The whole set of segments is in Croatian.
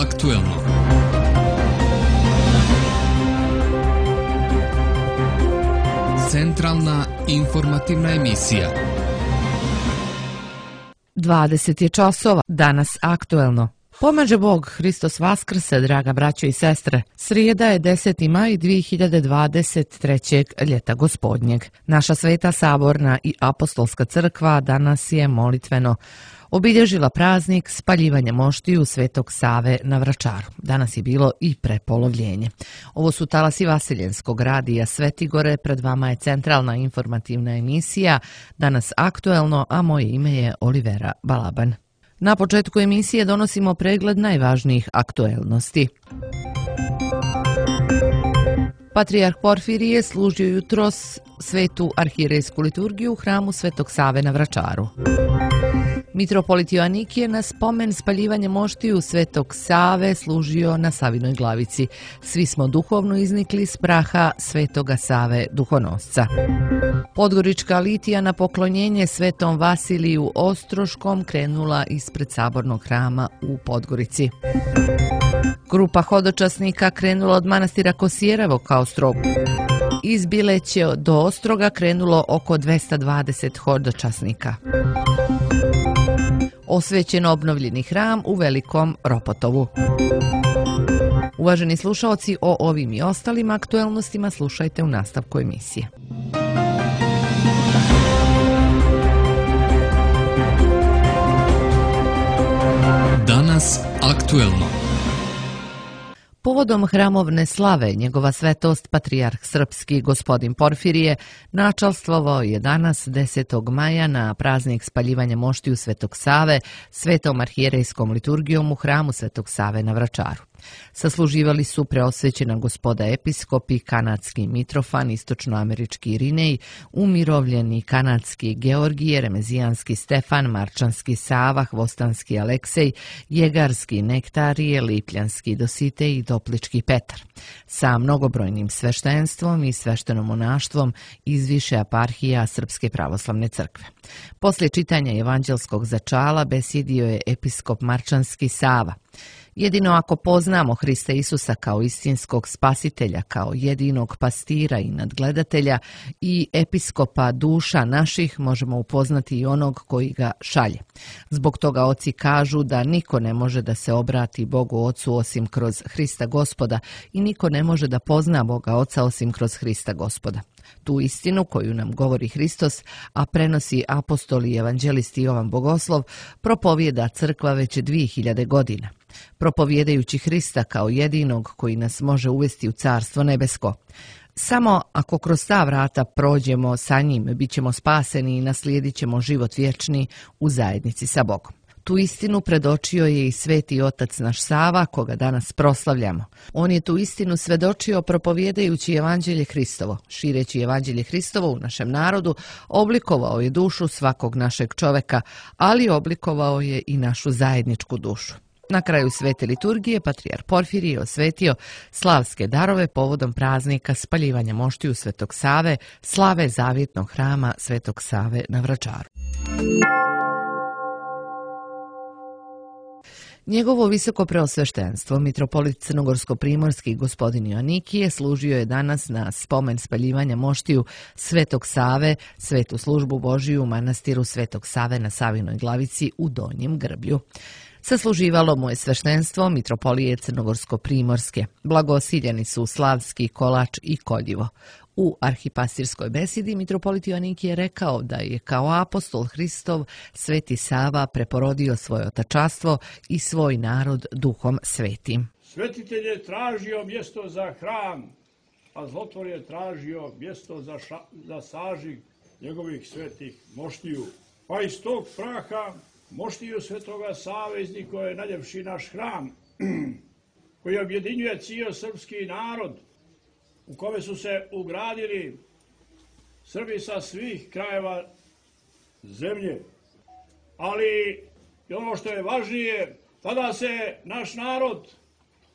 aktuelno. Centralna informativna emisija. 20 je časova, danas aktuelno. Pomaže Bog, Hristos Vaskrse, draga braćo i sestre. Srijeda je 10. maj 2023. ljeta gospodnjeg. Naša Sveta Saborna i Apostolska crkva danas je molitveno obilježila praznik spaljivanja moštiju Svetog Save na Vračaru. Danas je bilo i prepolovljenje. Ovo su talasi Vaseljenskog radija Svetigore, pred vama je centralna informativna emisija, danas aktuelno, a moje ime je Olivera Balaban. Na početku emisije donosimo pregled najvažnijih aktuelnosti. Patrijarh Porfirije služio jutros svetu arhirejsku liturgiju u hramu Svetog Save na Vračaru. Mitropolit Joanikije na spomen spaljivanja moštiju Svetog Save služio na Savinoj glavici. Svi smo duhovno iznikli s praha Svetoga Save duhonosca. Podgorička litija na poklonjenje Svetom Vasiliju Ostroškom krenula ispred sabornog hrama u Podgorici. Grupa hodočasnika krenula od manastira Kosijerevo ka Ostrogu. Iz Bileće do Ostroga krenulo oko 220 hodočasnika. Osvećen obnovljeni hram u Velikom Ropotovu. Uvaženi slušaoci, o ovim i ostalim aktuelnostima slušajte u nastavku emisije. Danas aktuelno. Povodom hramovne slave, njegova svetost Patrijarh Srpski gospodin Porfirije načalstvovao je danas 10. maja na praznik spaljivanja moštiju Svetog Save svetom arhijerejskom liturgijom u hramu Svetog Save na Vračaru. Sasluživali su preosvećena gospoda episkopi, kanadski Mitrofan, istočnoamerički Irinej, umirovljeni kanadski Georgije, remezijanski Stefan, marčanski Sava, hvostanski Aleksej, jegarski Nektarije, lipljanski Dositej i doplički Petar, sa mnogobrojnim sveštenstvom i sveštenomonaštvom iz više eparhija Srpske pravoslavne crkve. Poslije čitanja evanđelskog začala besjedio je episkop marčanski Sava. Jedino ako poznamo Hrista Isusa kao istinskog spasitelja, kao jedinog pastira i nadgledatelja i episkopa duša naših, možemo upoznati i onog koji ga šalje. Zbog toga oci kažu da niko ne može da se obrati Bogu Ocu osim kroz Hrista Gospoda i niko ne može da pozna Boga Oca osim kroz Hrista Gospoda. Tu istinu koju nam govori Hristos, a prenosi apostol i evanđelisti Jovan Bogoslov, propovijeda crkva već 2000 godina. Propovjedajući Hrista kao jedinog koji nas može uvesti u Carstvo nebesko. Samo ako kroz ta vrata prođemo sa njim, bit ćemo spaseni i naslijedit ćemo život vječni u zajednici sa Bogom. Tu istinu predočio je i sveti otac naš Sava, koga danas proslavljamo. On je tu istinu svedočio propovjedajući evanđelje Hristovo. Šireći evanđelje Hristovo u našem narodu, oblikovao je dušu svakog našeg čoveka, ali oblikovao je i našu zajedničku dušu. Na kraju svete liturgije Patrijarh Porfirije osvetio slavske darove povodom praznika spaljivanja moštiju Svetog Save, slave zavjetnog hrama Svetog Save na Vračaru. Njegovo visoko preosveštenstvo, mitropolit crnogorsko-primorski gospodin Joanikije, služio je danas na spomen spaljivanja moštiju Svetog Save, svetu službu Božiju u manastiru Svetog Save na Savinoj glavici u Donjem Grblju. Sasluživalo mu je sveštenstvo mitropolije crnogorsko-primorske. Blagosiljeni su Slavski, Kolač i Koljivo. U arhipastirskoj besedi mitropolit Joanikije rekao da je kao apostol Hristov Sveti Sava preporodio svoje otačastvo i svoj narod duhom svetim. Svetitelj je tražio mjesto za hram, a zlotvor je tražio mjesto za sažig njegovih svetih moštiju. Pa iz tog praha moštiju Svetoga Save iznikao je najljepši naš hram, koji objedinjuje cijel srpski narod, u kome su se ugradili Srbi sa svih krajeva zemlje. Ali i ono što je važnije, tada se naš narod,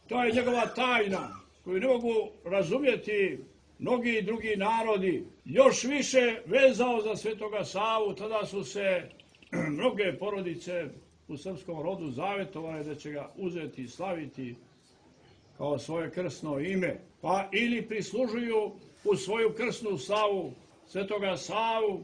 to je njegova tajna, koju ne mogu razumjeti mnogi drugi narodi, još više vezao za Svetoga Savu. Tada su se mnoge porodice u srpskom rodu zavetovane da će ga uzeti i slaviti kao svoje krsno ime, pa ili prislužuju u svoju krsnu slavu Svetoga Savu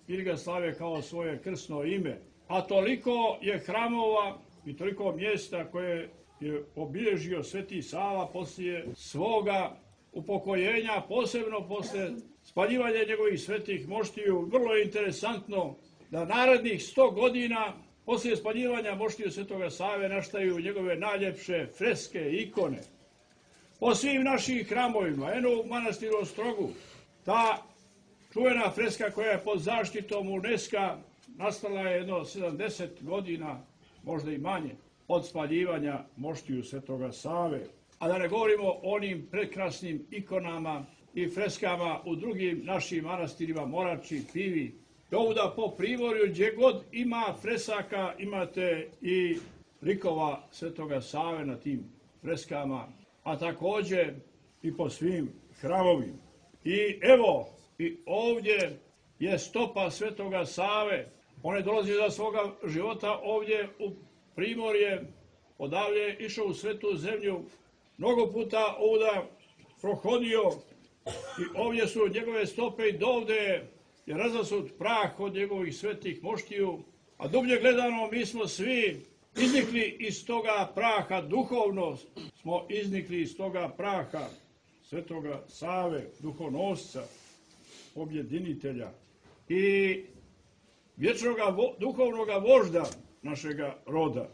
ili ga slave kao svoje krsno ime. A toliko je hramova i toliko mjesta koje je obilježio Sveti Sava poslije svoga upokojenja, posebno posle spaljivanja njegovih svetih moštiju. Vrlo je interesantno da narednih 100 godina poslije spaljivanja moštiju Svetoga Save naštaju njegove najljepše freske i ikone. Po svim našim hramovima, eno u manastiru Ostrogu, ta čuvena freska koja je pod zaštitom UNESCO nastala je jedno 70 godina, možda i manje, od spaljivanja moštiju Svetoga Save. A da ne govorimo o onim prekrasnim ikonama i freskama u drugim našim manastirima, Morači, Pivi. Ovuda po Primorju, gdje god ima fresaka, imate i likova Svetoga Save na tim freskama, a također i po svim hramovima. I evo, i ovdje je stopa Svetoga Save. On je dolazio za svoga života ovdje u Primorje, odavlje je išao u Svetu zemlju, mnogo puta ovdje prohodio i ovdje su njegove stope i dovde je razasut prah od njegovih svetih moštiju, a dublje gledano mi smo svi iznikli iz toga praha, duhovno smo iznikli iz toga praha Svetoga Save, duhonosca, objedinitelja i vječnog duhovnog vožda našega roda.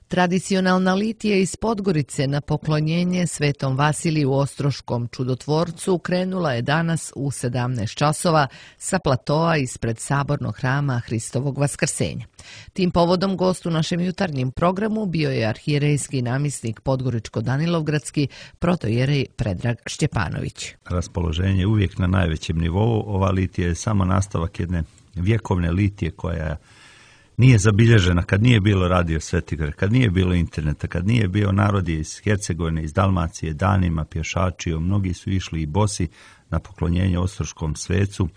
Tradicionalna litija iz Podgorice na poklonjenje Svetom Vasiliju Ostroškom čudotvorcu krenula je danas u 17 časova sa platoa ispred sabornog hrama Hristovog Vaskrsenja. Tim povodom gost u našem jutarnjem programu bio je arhijerejski namjesnik Podgoričko-Danilovgradski protojerej Predrag Šćepanović. Raspoloženje je uvijek na najvećem nivou. Ova litija je samo nastavak jedne vjekovne litije koja nije zabilježena, kad nije bilo radio Svetigor, kad nije bilo interneta, kad nije bio narod iz Hercegovine, iz Dalmacije, danima pješačio, mnogi su išli i bosi na poklonjenje Ostroškom svecu,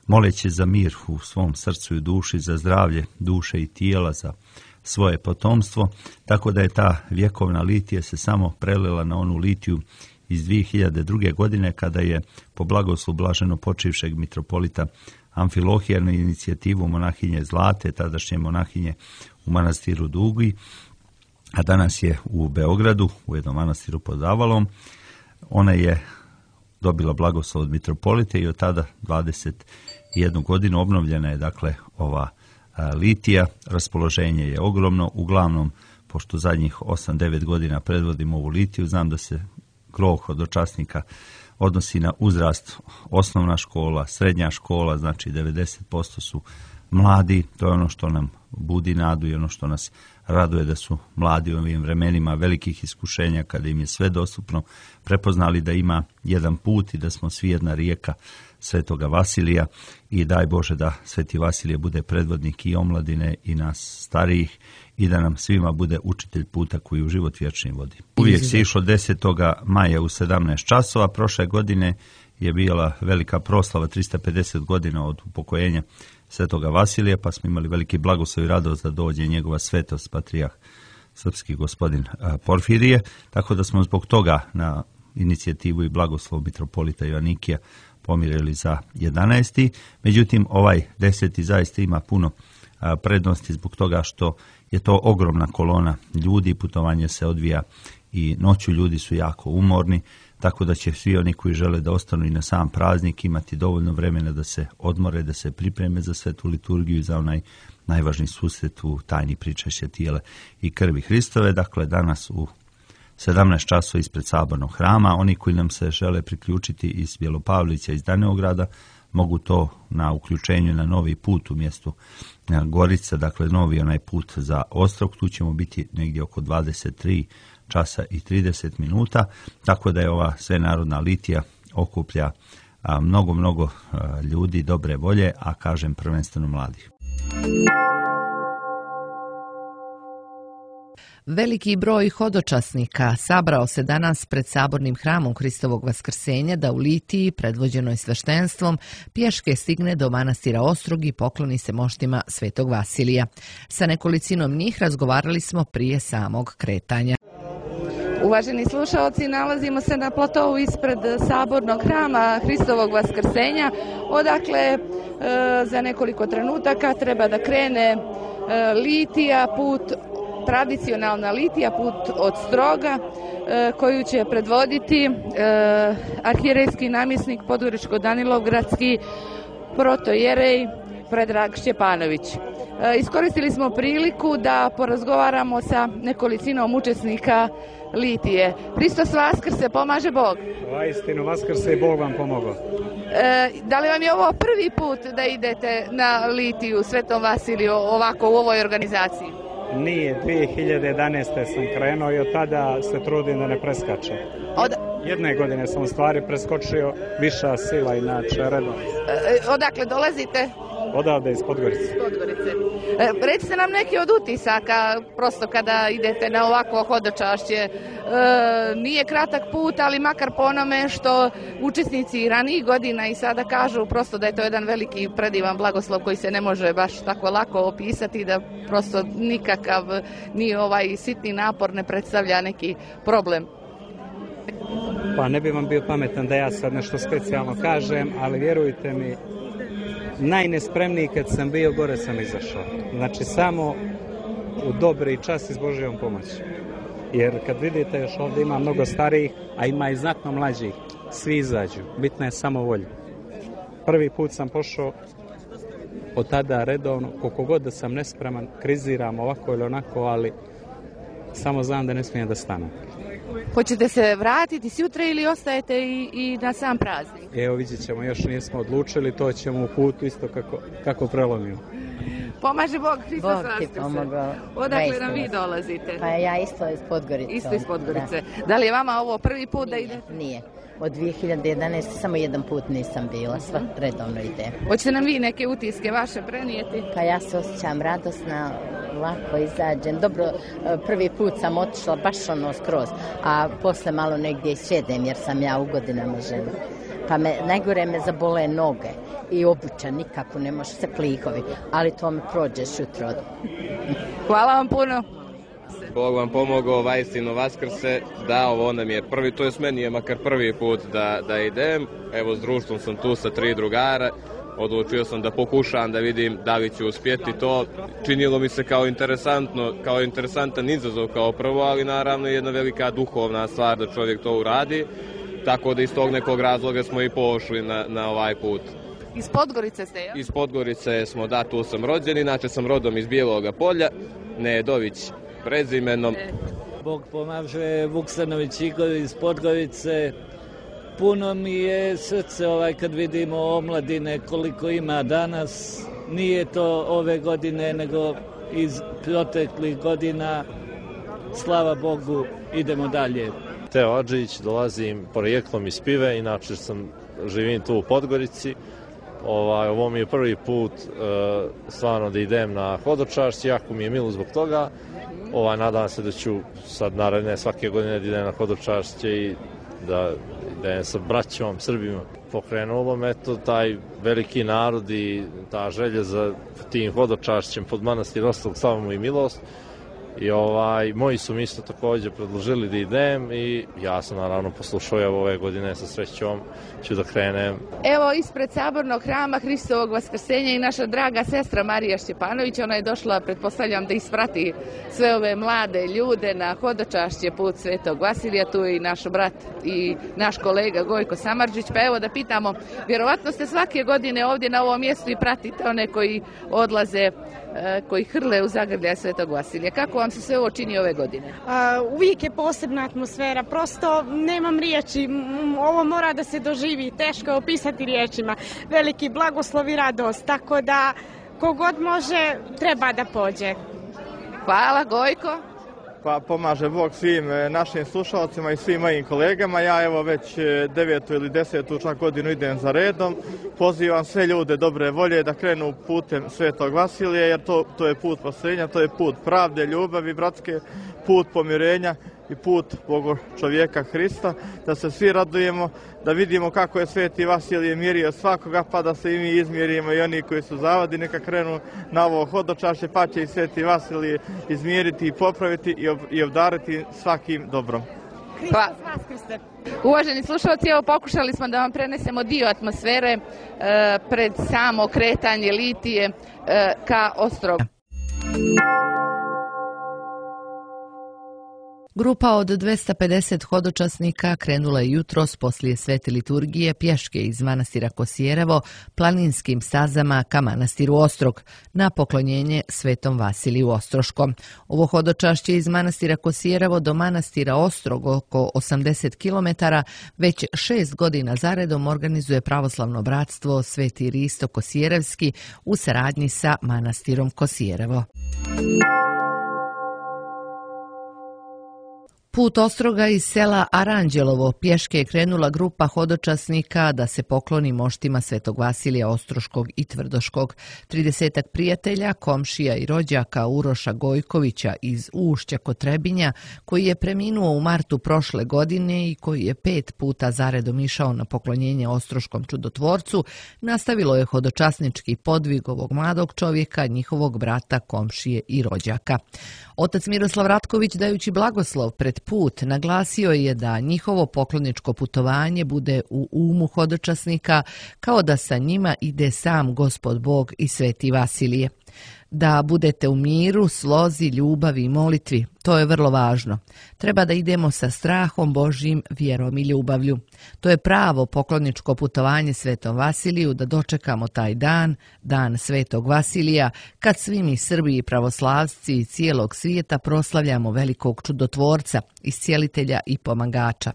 moleći za mir u svom srcu i duši, za zdravlje duše i tijela, za svoje potomstvo, tako da je ta vjekovna litija se samo prelila na onu litiju iz 2002. godine kada je po blagoslovu blaženo počivšeg mitropolita Amfilohija na inicijativu monahinje Zlate, tadašnje monahinje u manastiru Dugi, a danas je u Beogradu, u jednom manastiru pod Avalom. Ona je dobila blagoslov od mitropolite i od tada 21 godinu obnovljena je dakle ova litija. Raspoloženje je ogromno, uglavnom pošto zadnjih 8-9 godina predvodim ovu litiju, znam da se gro hodočasnika odnosi na uzrast osnovna škola, srednja škola, znači 90% su mladi, to je ono što nam budi nadu i ono što nas raduje da su mladi u ovim vremenima velikih iskušenja kada im je sve dostupno, prepoznali da ima jedan put i da smo svi jedna rijeka Svetoga Vasilija i daj Bože da Sveti Vasilije bude predvodnik i omladine i nas starijih i da nam svima bude učitelj puta koji u život vječni vodi. Uvijek se išlo 10. maja u 17 časova, prošle godine je bila velika proslava 350 godina od upokojenja Svetoga Vasilija, pa smo imali veliki blagoslov i radost da dođe njegova svetost patrijarh srpski gospodin Porfirije, tako da smo zbog toga na inicijativu i blagoslov mitropolita Joanikija pomirili za 11. Međutim, ovaj 10. zaista ima puno prednosti zbog toga što je to ogromna kolona ljudi, putovanje se odvija i noću, ljudi su jako umorni, tako da će svi oni koji žele da ostanu i na sam praznik imati dovoljno vremena da se odmore, da se pripreme za svetu liturgiju i za onaj najvažniji susret u tajni pričašća tijela i krvi Hristove. Dakle, danas u 17 časova ispred sabornog hrama. Oni koji nam se žele priključiti iz Bjelopavlića, iz Danilovgrada, mogu to na uključenju na novi put u mjestu Gorica, dakle novi onaj put za Ostrog, tu ćemo biti negdje oko 23 časa i 30 minuta, tako da je ova svenarodna litija okuplja mnogo ljudi dobre volje, a kažem prvenstveno mladih. Veliki broj hodočasnika sabrao se danas pred sabornim hramom Hristovog Vaskrsenja da u litiji, predvođenoj sveštenstvom, pješke stigne do manastira Ostrog i pokloni se moštima Svetog Vasilija. Sa nekolicinom njih razgovarali smo prije samog kretanja. Uvaženi slušalci, nalazimo se na platovu ispred sabornog hrama Hristovog Vaskrsenja, odakle za nekoliko trenutaka treba da krene litija, tradicionalna litija, put od Stroga, koju će predvoditi arhijerejski namjesnik Podgoričko-Danilovgradski protojerej Predrag Šćepanović. Iskoristili smo priliku da porazgovaramo sa nekolicinom učesnika litije. Hristos Vaskrse, pomaže Bog. Istinu Vaskrse i Bog vam pomogao. Da li vam je ovo prvi put da idete na litiju Svetom Vasiliju ovako u ovoj organizaciji? Nije, 2011. sam krenuo i od tada se trudim da ne preskačem. Jedne godine sam u stvari preskočio, viša sila inače redom. Odakle dolazite? Odavde iz Podgorice. Recite nam neki od utisaka, prosto kada idete na ovakvo hodočašće. Nije kratak put, ali makar po onome što učesnici ranijih godina i sada kažu prosto da je to jedan veliki predivan blagoslov koji se ne može baš tako lako opisati, da prosto nikakav ni ovaj sitni napor ne predstavlja neki problem. Pa ne bi vam bio pametan da ja sad nešto specijalno kažem, ali vjerujte mi, najnespremniji kad sam bio, gore sam izašao. Znači samo u dobri čas i s Božjom pomoći. Jer kad vidite još ovdje ima mnogo starijih, a ima i znatno mlađih, svi izađu. Bitna je samo volja. Prvi put sam pošao od tada redovno, koliko god da sam nespreman, kriziram ovako ili onako, ali samo znam da ne smijem da stanem. Hoćete se vratiti sutra ili ostajete i na sam praznik? Evo vidjet ćemo, još nismo odlučili, to ćemo u putu isto kako prelomimo. Pomaže Bog, Hristos Vaskrse. Bog ti pomogao. Odakle nam vi dolazite? Pa ja isto iz Podgorice. Isto iz Podgorice. Da li je vama ovo prvi put da idete? Nije. Od 2011. samo jedan put nisam bila, sva redovno ide. Hoćete nam vi neke utiske vaše prenijeti? Pa ja se osjećam radosna, lako izađem. Dobro, prvi put sam otišla baš skroz, a posle malo negdje sjedem jer sam ja u godinama žena. Pa najgore me zabole noge i obuća, nikako ne može se klihovi, ali to me prođeš jutro. Hvala vam puno. Bog vam pomogao, vajstino Vaskrse, da ovo nam je prvi, to jest meni je makar prvi put da idem. Evo s društvom sam tu sa 3 drugara, odlučio sam da pokušam da vidim da li ću uspjeti to. Činilo mi se kao interesantan izazov kao prvo, ali naravno jedna velika duhovna stvar da čovjek to uradi. Tako da iz tog nekog razloga smo i pošli na ovaj put. Iz Podgorice ste, jel? Iz Podgorice smo, da, tu sam rođen, inače sam rodom iz Bijeloga Polja, Nedović prezimenom. Bog pomaže, Vuksanović Igor iz Podgorice. Puno mi je srce kad vidimo omladine koliko ima danas. Nije to ove godine, nego iz proteklih godina. Slava Bogu, idemo dalje. Teo Adžić, dolazim porijeklom iz Pive, inače živim tu u Podgorici. Ovo mi je prvi put stvarno da idem na hodočašće, jako mi je milo zbog toga. Nadam se da ću sad naredne svake godine da idem na hodočašće i da idem sa braćom, Srbima. Pokrenulo me to taj veliki narod i ta želja za tim hodočašćem pod manastir Ostrog, slava mu i milost. I moji su mi isto također predložili da idem i ja sam naravno poslušao, evo ove godine sa srećom ću da krenem. Evo ispred sabornog hrama Hristovog Vaskrsenja i naša draga sestra Marija Šćepanović, ona je došla, pretpostavljam, da isprati sve ove mlade ljude na hodočašće put Svetog Vasilija, tu je i naš brat i naš kolega Gojko Samardžić, pa evo da pitamo, vjerovatno ste svake godine ovdje na ovom mjestu i pratite one koji odlaze, koji hrle u zagrljaj Svetog Vasilija. Kako vam se sve ovo čini ove godine? Uvijek je posebna atmosfera, prosto nemam riječi, ovo mora da se doživi, teško je opisati riječima, veliki blagoslov i radost, tako da kogod može treba da pođe. Hvala Gojko. Pa pomaže Bog svim našim slušalcima i svim mojim kolegama. Ja evo već 9. ili 10. čak godinu idem za redom. Pozivam sve ljude dobre volje da krenu putem Svetog Vasilija, jer to je put spasenja, to je put pravde, ljubavi, bratske, put pomirenja i put Boga čovjeka Hrista, da se svi radujemo, da vidimo kako je Sveti Vasilije mirio svakoga, pa da se i mi izmjerimo i oni koji su zavadi neka krenu na ovo hodočašće, pa će i Sveti Vasilije izmjeriti i popraviti i obdariti svakim dobrom. Uvaženi slušalci, evo pokušali smo da vam prenesemo dio atmosfere pred samo kretanje litije ka Ostrogu. Grupa od 250 hodočasnika krenula je jutros poslije svete liturgije pješke iz manastira Kosijerevo planinskim stazama ka manastiru Ostrog na poklonjenje Svetom Vasiliju Ostroškom. Ovo hodočašće iz manastira Kosijerevo do manastira Ostrog oko 80 km već 6 godina zaredom organizuje pravoslavno bratstvo Sveti Risto Kosijerevski u saradnji sa manastirom Kosijerevo. Put Ostroga iz sela Aranđelovo pješke je krenula grupa hodočasnika da se pokloni moštima Svetog Vasilija Ostroškog i Tvrdoškog. 30 prijatelja, komšija i rođaka Uroša Gojkovića iz Ušća kod Trebinja, koji je preminuo u martu prošle godine i koji je 5 puta zaredom išao na poklonjenje Ostroškom čudotvorcu, nastavilo je hodočasnički podvig ovog mladog čovjeka, njihovog brata, komšije i rođaka. Otac Miroslav Ratković, dajući blagoslov pred put, naglasio je da njihovo pokloničko putovanje bude u umu hodočasnika, kao da sa njima ide sam Gospod Bog i Sveti Vasilije. Da budete u miru, slozi, ljubavi i molitvi. To je vrlo važno. Treba da idemo sa strahom Božjim, vjerom i ljubavlju. To je pravo pokloničko putovanje Svetom Vasiliju, da dočekamo taj dan, dan Svetog Vasilija, kad svi mi Srbi i pravoslavci i cijelog svijeta proslavljamo velikog čudotvorca, iscijelitelja i pomagača.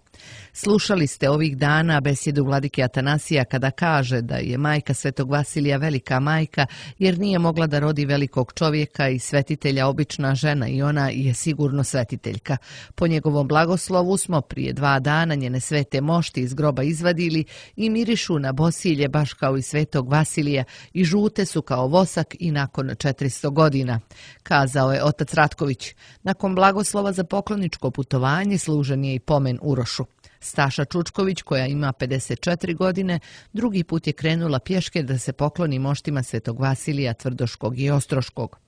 Slušali ste ovih dana besjedu vladike Atanasija kada kaže da je majka Svetog Vasilija velika majka jer nije mogla da rodi velikog čovjeka i svetitelja obična žena i ona je sigurno svetiteljka. Po njegovom blagoslovu smo prije 2 dana njene svete mošti iz groba izvadili i mirišu na bosilje baš kao i Svetog Vasilija i žute su kao vosak i nakon 400 godina, kazao je otac Ratković. Nakon blagoslova za pokloničko putovanje služen je i pomen Urošu. Staša Čučković, koja ima 54 godine, drugi put je krenula pješke da se pokloni moštima Svetog Vasilija Tvrdoškog i Ostroškog.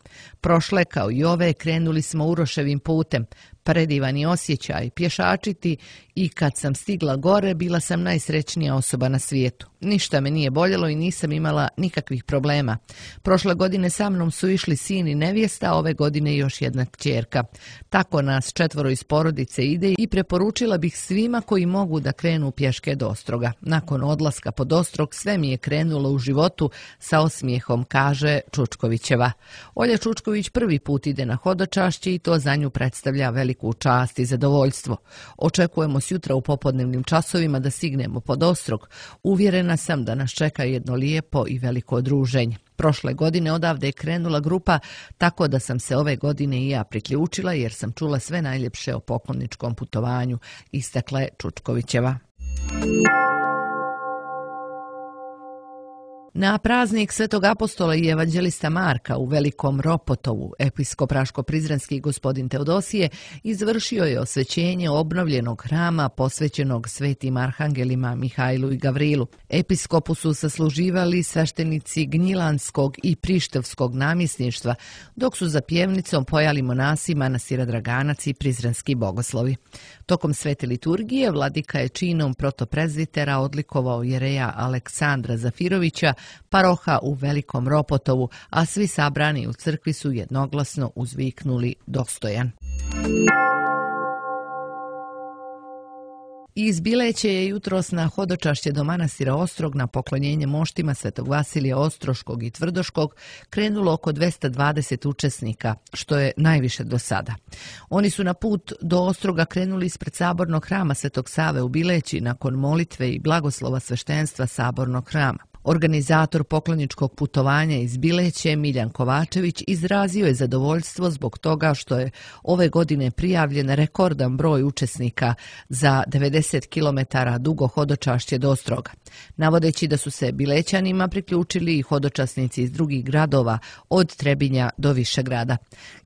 Prošle, kao i ove, krenuli smo Uroševim putem. Predivani osjećaj, pješačiti, i kad sam stigla gore, bila sam najsrećnija osoba na svijetu. Ništa me nije boljelo i nisam imala nikakvih problema. Prošle godine sa mnom su išli sin i nevjesta, ove godine još jedna kćerka. Tako nas 4 iz porodice ide i preporučila bih svima koji mogu da krenu pješke do Ostroga. Nakon odlaska pod Ostrog sve mi je krenulo u životu, sa osmijehom, kaže Čučkovićeva. Olja Čučković prvi put ide na hodočašće i to za nju predstavlja veliku čast i zadovoljstvo. Očekujemo sjutra u popodnevnim časovima da stignemo pod Ostrog. Uvjerena sam da nas čeka jedno lijepo i veliko druženje. Prošle godine odavde je krenula grupa, tako da sam se ove godine i ja priključila jer sam čula sve najljepše o pokloničkom putovanju, istakla je Čučkovićeva. Na praznik Svetog apostola i evanđelista Marka u Velikom Ropotovu episkop Raško-Prizrenski gospodin Teodosije izvršio je osvećenje obnovljenog hrama posvećenog svetim arhangelima Mihajlu i Gavrilu. Episkopu su sasluživali sveštenici Gnjilanskog i Prištevskog namjesništva, dok su za pjevnicom pojali monasi manastira Draganac i prizrenski bogoslovi. Tokom svete liturgije vladika je činom protoprezbitera odlikovao jereja Aleksandra Zafirovića, paroha u Velikom Ropotovu, a svi sabrani u crkvi su jednoglasno uzviknuli dostojan. Iz Bileće je jutros na hodočašće do manastira Ostrog na poklonjenje moštima Svetog Vasilija Ostroškog i Tvrdoškog krenulo oko 220 učesnika, što je najviše do sada. Oni su na put do Ostroga krenuli ispred sabornog hrama Svetog Save u Bileći nakon molitve i blagoslova sveštenstva sabornog hrama. Organizator pokloničkog putovanja iz Bileće, Miljan Kovačević, izrazio je zadovoljstvo zbog toga što je ove godine prijavljen rekordan broj učesnika za 90 km dugo hodočašće do Ostroga, navodeći da su se Bilećanima priključili i hodočasnici iz drugih gradova od Trebinja do Višegrada.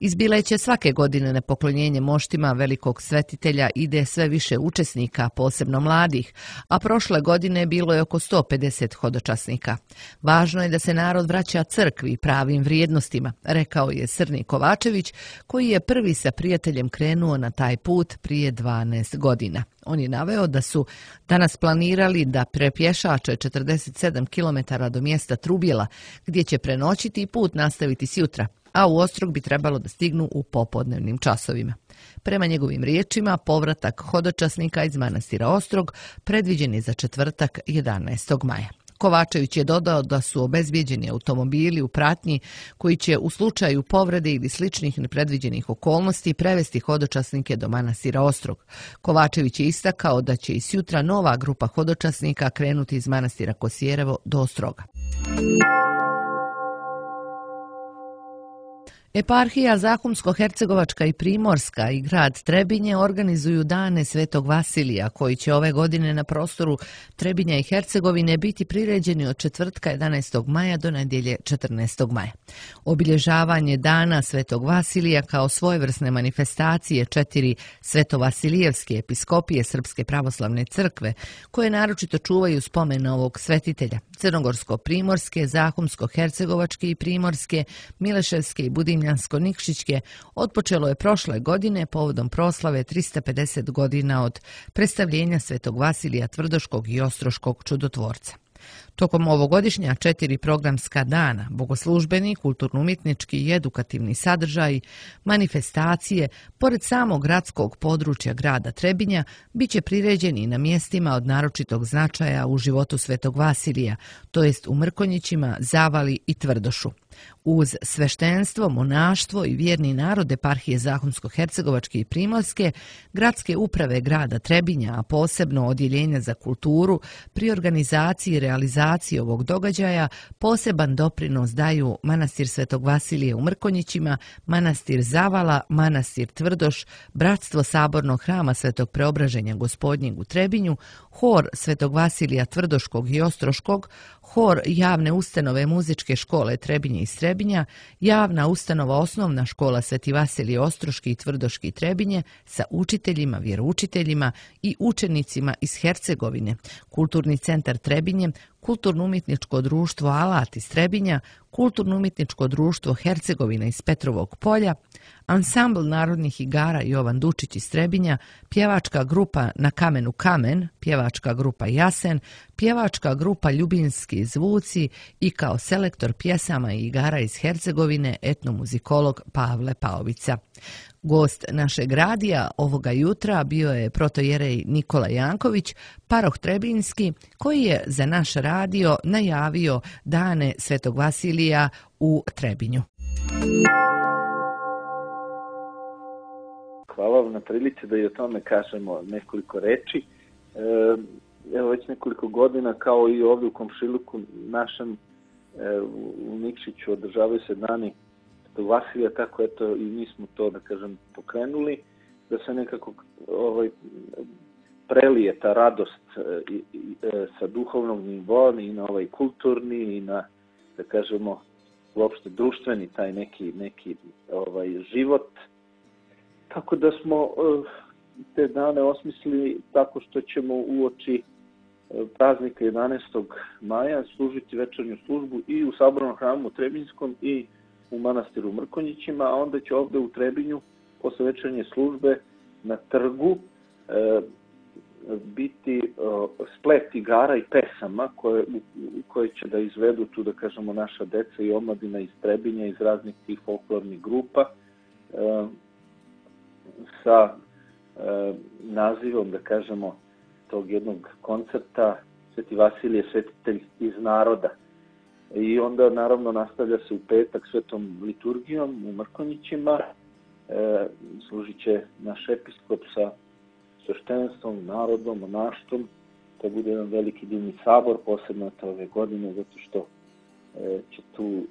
Iz Bileće svake godine na poklonjenje moštima velikog svetitelja ide sve više učesnika, posebno mladih, a prošle godine bilo je oko 150 hodočasnika. Važno je da se narod vraća crkvi i pravim vrijednostima, rekao je Srni Kovačević, koji je prvi sa prijateljem krenuo na taj put prije 12 godina. On je naveo da su danas planirali da prepješače 47 km do mjesta Trubjela, gdje će prenoćiti i put nastaviti sjutra, a u Ostrog bi trebalo da stignu u popodnevnim časovima. Prema njegovim riječima, povratak hodočasnika iz manastira Ostrog predviđen je za četvrtak 11. maja. Kovačević je dodao da su obezbijeđeni automobili u pratnji koji će u slučaju povrede ili sličnih nepredviđenih okolnosti prevesti hodočasnike do manastira Ostrog. Kovačević je istakao da će i sjutra nova grupa hodočasnika krenuti iz manastira Kosijerevo do Ostroga. Eparhija Zahumsko-Hercegovačka i Primorska i grad Trebinje organizuju dane Svetog Vasilija, koji će ove godine na prostoru Trebinja i Hercegovine biti priređeni od četvrtka 11. maja do nedjelje 14. maja. Obilježavanje dana Svetog Vasilija kao svojevrsne manifestacije 4 svetovasilijevske episkopije Srpske pravoslavne crkve, koje naročito čuvaju spomen ovog svetitelja, Crnogorsko-Primorske, Zahumsko-Hercegovačke i Primorske, Mileševske i Budimljansko-Nikšićke, otpočelo je prošle godine povodom proslave 350 godina od predstavljenja Svetog Vasilija Tvrdoškog i Ostroškog čudotvorca. Tokom ovogodišnja 4 programska dana, bogoslužbeni, kulturno-umjetnički i edukativni sadržaji, manifestacije, pored samog gradskog područja grada Trebinja, bit će priređeni i na mjestima od naročitog značaja u životu Svetog Vasilija, to jest u Mrkonjićima, Zavali i Tvrdošu. Uz sveštenstvo, monaštvo i vjerni narod eparhije Zahumsko-Hercegovačke i Primorske, gradske uprave grada Trebinja, a posebno odjeljenja za kulturu, pri organizaciji i realizaciji ovog događaja poseban doprinos daju manastir Svetog Vasilija u Mrkonjićima, manastir Zavala, manastir Tvrdoš, bratstvo Sabornog hrama Svetog Preobraženja Gospodnjeg u Trebinju, hor Svetog Vasilija Tvrdoškog i Ostroškog, hor javne ustanove muzičke škole Trebinje i Strebinja, javna ustanova osnovna škola Sveti Vasilije Ostroški i Tvrdoški Trebinje sa učiteljima, vjeroučiteljima i učenicima iz Hercegovine, kulturni centar Trebinje, kulturno-umjetničko društvo Alat iz Trebinja, kulturno-umjetničko društvo Hercegovina iz Petrovog Polja, ansambl narodnih igara Jovan Dučić iz Trebinja, pjevačka grupa Na kamenu kamen, pjevačka grupa Jasen, pjevačka grupa Ljubinski zvuci i kao selektor pjesama i igara iz Hercegovine etnomuzikolog Pavle Paovica. Gost našeg radija ovoga jutra bio je protojerej Nikola Janković, paroh Trebinski, koji je za naš radio najavio dane Svetog Vasilija u Trebinju. Hvala vam na prilici da i o tome kažemo nekoliko reči. Evo već nekoliko godina, kao i ovdje u komšiluku našem u Nikšiću, održavaju se dani Svetog Vasilija, tako eto i mi smo to, da kažem, pokrenuli, da se nekako prelije ta radost sa duhovnog nivoa i na ovaj kulturni i na, da kažemo, uopšte društveni taj neki život. Tako da smo te dane osmislili tako što ćemo uoči praznika 11. maja služiti večernju službu i u Sabornom hramu Trebinjskom i u manastiru Mrkonjićima, a onda će ovdje u Trebinju posle večernje službe na trgu biti splet igara i pesama koje će da izvedu tu, da kažemo, naša deca i omladina iz Trebinja, iz raznih tih folklornih grupa, sa nazivom, da kažemo, tog jednog koncerta Sveti Vasilije, svetitelj iz naroda. I onda naravno nastavlja se u petak svetom liturgijom u Mrkonjićima, služit će naš episkop sa sveštenstvom, narodom, monaštvom to bude jedan veliki divni sabor, posebno ove godine, zato što će tu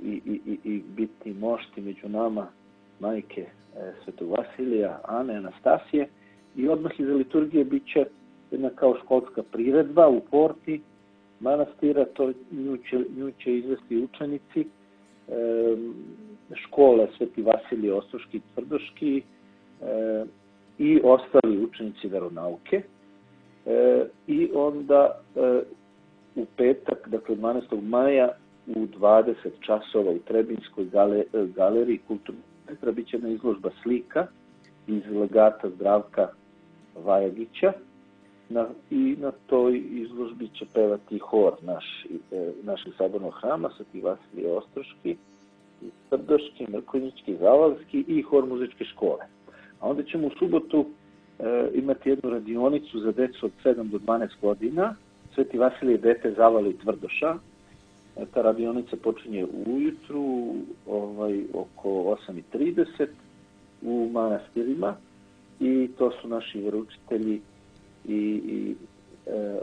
i biti mošti među nama majke Svetog Vasilija, Ane, Anastasije, i odmah iza liturgije bit će jedna kao školska priredba u porti manastira, to nju će izvesti učenici škole Sveti Vasilije Ostroški i Tvrdoški i ostali učenici veronauke. I onda u petak, dakle 12. maja u 20 časova u Trebinjskoj galeriji kulturnog centra bit će jedna izložba slika iz legata Zdravka Vajagića i na toj izložbi će pevati hor našeg sabornog hrama Sveti Vasilije Ostroški, Tvrdoški, Mrkonjićki, Zavalski i hor muzičke škole. A onda ćemo u subotu imati jednu radionicu za decu od 7 do 12 godina, Sveti Vasilije dete Zavali Tvrdoša. Ta radionica počinje ujutru oko 8:30 u manastirima i to su naši vjeroučitelji i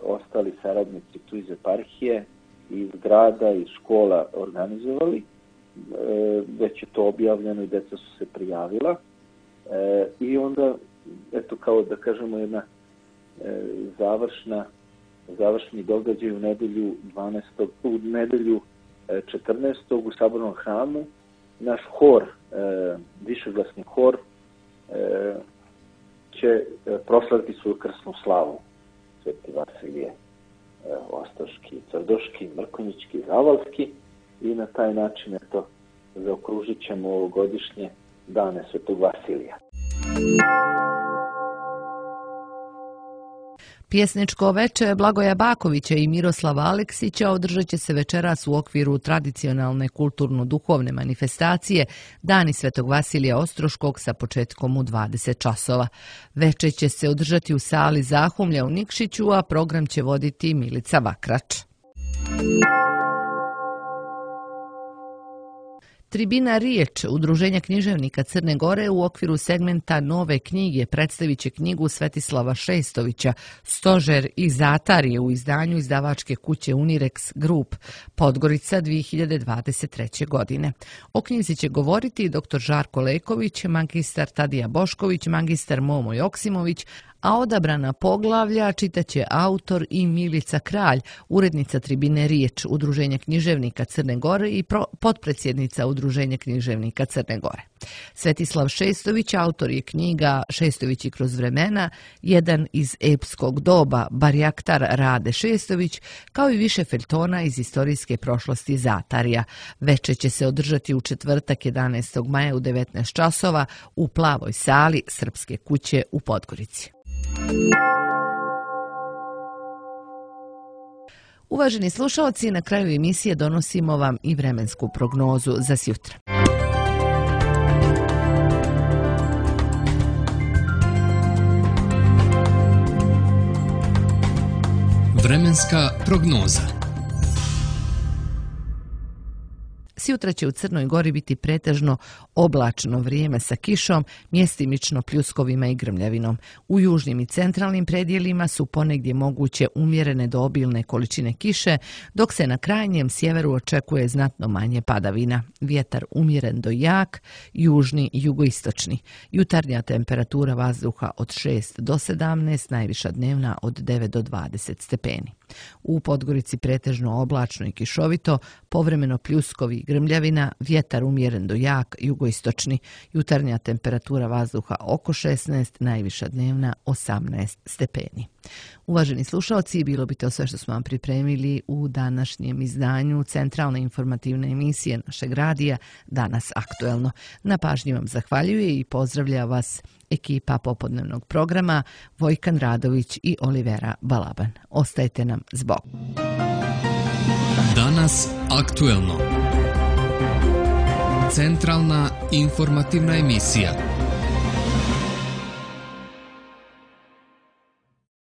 ostali saradnici tu iz eparhije, iz grada, iz škola organizovali. Već je to objavljeno i deca su se prijavila. I onda, eto, kao da kažemo, jedna završni događaj u nedelju 14. u Sabornom hramu. Naš hor, višeglasni hor, će proslaviti svoju krsnu slavu. Sveti Vasilije Ostroški, Tvrdoški, Mrkonjićki, Zavalski, i na taj način zaokružit ćemo ovogodišnje dane Svetog Vasilija. Pjesničko veče Blagoja Bakovića i Miroslava Aleksića održat će se večeras u okviru tradicionalne kulturno-duhovne manifestacije Dani Svetog Vasilija Ostroškog sa početkom u 20 časova. Veče će se održati u sali Zahumlja u Nikšiću, a program će voditi Milica Vakrač. Tribina Riječ, Udruženja književnika Crne Gore, u okviru segmenta Nove knjige predstavit će knjigu Svetislava Šestovića Stožer i Zatarije u izdanju izdavačke kuće Unirex Group, Podgorica 2023. godine. O knjizi će govoriti dr. Žarko Leković, magistar Tadija Bošković, magistar Momo Joksimović, a odabrana poglavlja čitaće autor i Milica Kralj, urednica Tribine Riječ, Udruženja književnika Crne Gore i potpredsjednica Udruženja književnika Crne Gore. Svetislav Šestović autor je knjiga Šestovići kroz vremena, jedan iz epskog doba, Barjaktar Rade Šestović, kao i više feljtona iz istorijske prošlosti Zatarija. Veče će se održati u četvrtak 11. maja u 19 časova u Plavoj sali Srpske kuće u Podgorici. Uvaženi slušalci, na kraju emisije donosimo vam i vremensku prognozu za sjutra. Vremenska prognoza. Sjutra će u Crnoj Gori biti pretežno oblačno vrijeme sa kišom, mjestimično pljuskovima i grmljavinom. U južnim i centralnim predjelima su ponegdje moguće umjerene do obilne količine kiše, dok se na krajnjem sjeveru očekuje znatno manje padavina. Vjetar umjeren do jak, južni i jugoistočni. Jutarnja temperatura vazduha od 6 do 17, najviša dnevna od 9 do 20 stepeni. U Podgorici pretežno oblačno i kišovito, povremeno pljuskovi i grmljavina, vjetar umjeren do jak, jugoistočni. Jutarnja temperatura vazduha oko 16, najviša dnevna 18 stepeni. Uvaženi slušalci, bilo bi to sve što smo vam pripremili u današnjem izdanju centralne informativne emisije našeg radija Danas aktuelno. Na pažnji vam zahvaljuje i pozdravlja vas ekipa popodnevnog programa Vojkan Radović i Olivera Balaban. Ostajte nam s Bogom. Danas aktuelno. Centralna informativna emisija.